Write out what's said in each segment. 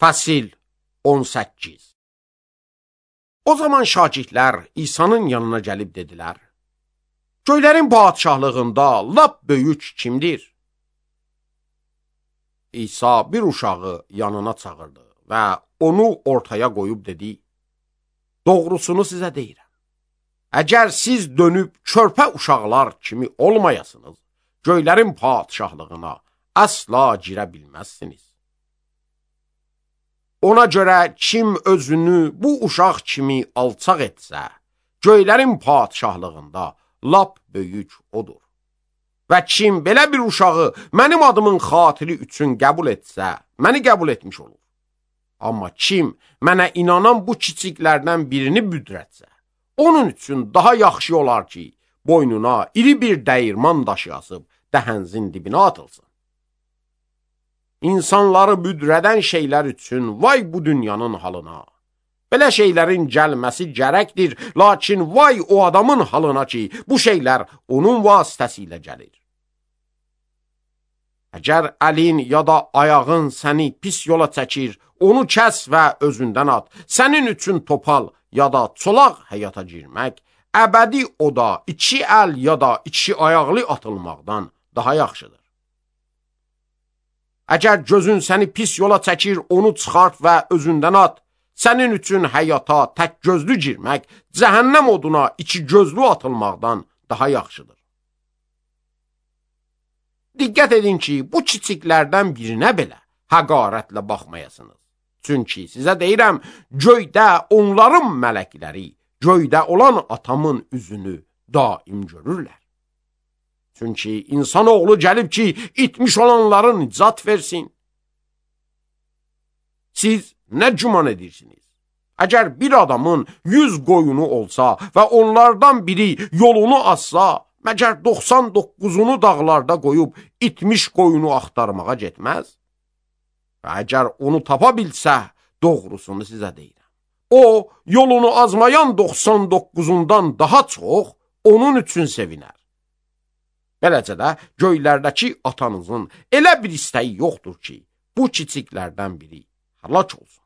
Fəsil 18. O zaman şagirdlər İsa'nın yanına gəlib dedilər: Göylərin padişahlığında lap böyük kimdir? İsa bir uşağı yanına çağırdı və onu ortaya qoyub dedi: Doğrusunu sizə deyirəm. Əgər siz dönüb körpə uşaqlar kimi olmayasınız, göylərin padişahlığına əsla girə bilməzsiniz. Ona görə kim özünü bu uşaq kimi alçaq etsə, göylərin padişahlığında lap böyük odur. Və kim belə bir uşağı mənim adımın xatiri üçün qəbul etsə, məni qəbul etmiş olur. Amma kim mənə inanan bu kiçiklərdən birini büdrətsə, onun üçün daha yaxşı olar ki, boynuna iri bir dəyirman daşı asıb dəhənzin dibinə atılsın. İnsanları büdrədən şeylər üçün vay bu dünyanın halına. Belə şeylərin gəlməsi gərəkdir, lakin vay o adamın halına ki, bu şeylər onun vasitəsilə gəlir. Əgər əlin ya da ayağın səni pis yola çəkir, onu kəs və özündən at. Sənin üçün topal ya da çolaq həyata girmək, əbədi oda iki əl ya da iki ayaqlı atılmaqdan daha yaxşıdır. Əgər gözün səni pis yola çəkir, onu çıxart və özündən at. Sənin üçün həyata tək gözlü girmək, cəhənnəm oduna iki gözlü atılmaqdan daha yaxşıdır. Diqqət edin ki, bu kiçiklərdən birinə belə həqarətlə baxmayasınız. Çünki sizə deyirəm, göydə onların mələkləri, göydə olan atamın üzünü daim görürlər. Çünki insanoğlu gəlib ki, itmiş olanların nicat versin. Siz nə güman edirsiniz? Əgər bir adamın 100 qoyunu olsa və onlardan biri yolunu azsa, məgər 99'unu dağlarda qoyub itmiş qoyunu axtarmağa getməz? Və əgər onu tapa bilsə, doğrusunu sizə deyirəm. O, yolunu azmayan 99'undan daha çox onun üçün sevinər. Beləcə də göylərdəki atanızın elə bir istəyi yoxdur ki, bu kiçiklərdən biri həlak olsun.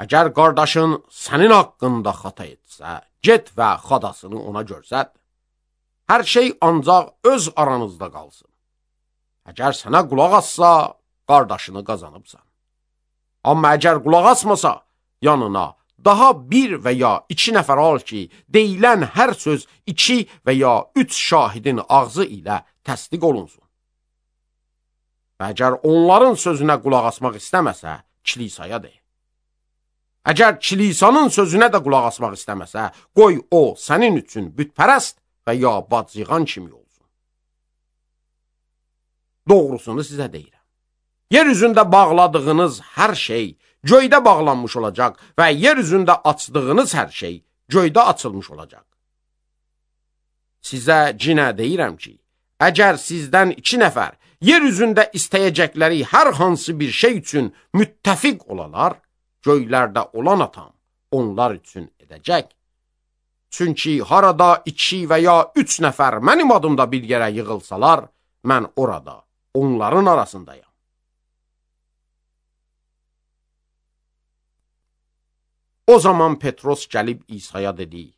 Əgər qardaşın sənin haqqında xata etsə, get və xadasını ona görsət. Hər şey ancaq öz aranızda qalsın. Əgər sənə qulaq assa, qardaşını qazanıbsan. Amma əgər qulaq asmasa, yanına daha bir və ya iki nəfər al ki, deyilən hər söz 2 və ya 3 şahidin ağzı ilə təsdiq olunsun. Və əgər onların sözünə qulaq asmaq istəməsə, kilisaya de. Əgər kilisanın sözünə də qulaq asmaq istəməsə, qoy o sənin üçün bütpərəst və ya bacıyğan kimi olsun. Doğrusunu sizə deyirəm. Yer üzündə bağladığınız hər şey göydə bağlanmış olacaq və yer üzündə açdığınız hər şey göydə açılmış olacaq. Sizə cinə deyirəm ki, əgər sizdən 2 nəfər yer üzündə istəyəcəkləri hər hansı bir şey üçün müttəfiq olalar, göylərdə olan atam onlar üçün edəcək. Çünki harada 2 və ya 3 nəfər mənim adımda bir yerə yığılsalar, mən orada onların arasındayam. O zaman Petros gəlib İsa'ya dedi: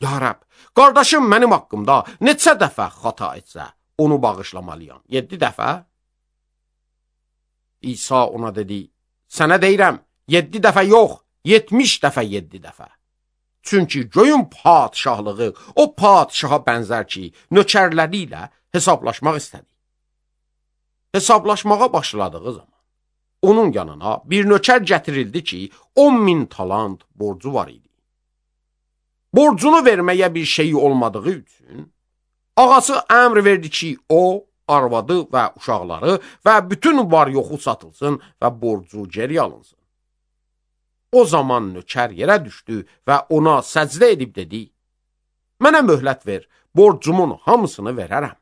Ya Rəbb, qardaşım mənim haqqımda neçə dəfə xata etsə, onu bağışlamalıyam? 7 dəfə? İsa ona dedi: Sənə deyirəm, 7 dəfə yox, 70 dəfə 7 dəfə. Çünki göyün padişahlığı o padişaha bənzər ki, nökərləri ilə hesablaşmaq istədi. Hesablaşmağa başladığı zaman onun yanına bir nökər gətirildi ki, 10.000 talant borcu var idi. Borcunu verməyə bir şeyi olmadığı üçün, ağası əmr verdi ki, o, arvadı və uşaqları və bütün var yoxu satılsın və borcu geri alınsın. O zaman nökər yerə düşdü və ona səcdə edib dedi: Mənə möhlət ver, borcumun hamısını verərəm.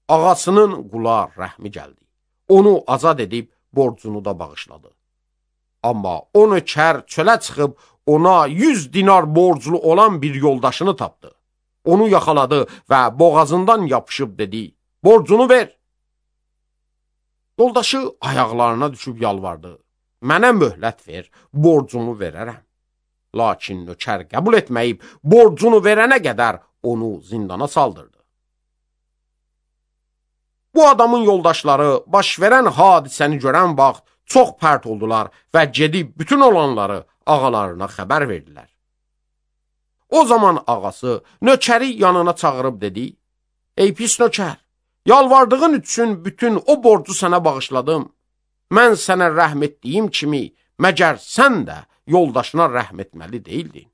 Ağasının qula rəhmi gəldi. Onu azad edib borcunu da bağışladı. Amma o nökər çölə çıxıb ona 100 dinar borclu olan bir yoldaşını tapdı. Onu yaxaladı və boğazından yapışıb dedi: Borcunu ver. Yoldaşı ayaqlarına düşüb yalvardı. Mənə möhlət ver, borcumu verərəm. Lakin nökər qəbul etməyib, borcunu verənə qədər onu zindana saldırdı. Bu adamın yoldaşları baş verən hadisəni görən vaxt çox pərt oldular və gedib bütün olanları ağalarına xəbər verdilər. O zaman ağası nökəri yanına çağırıb dedi: Ey pis nökər, yalvardığın üçün bütün o borcu sənə bağışladım. Mən sənə rəhm etdiyim kimi, məgər sən də yoldaşına rəhm etməli deyildin.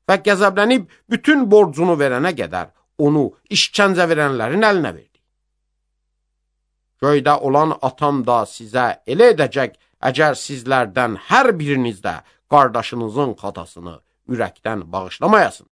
Və qəzəblənib bütün borcunu verənə qədər onu işkəncə verənlərin əlinə verdi. Göydə olan atam da sizə elə edəcək, əgər sizlərdən hər biriniz də qardaşınızın xatasını ürəkdən bağışlamayasınız.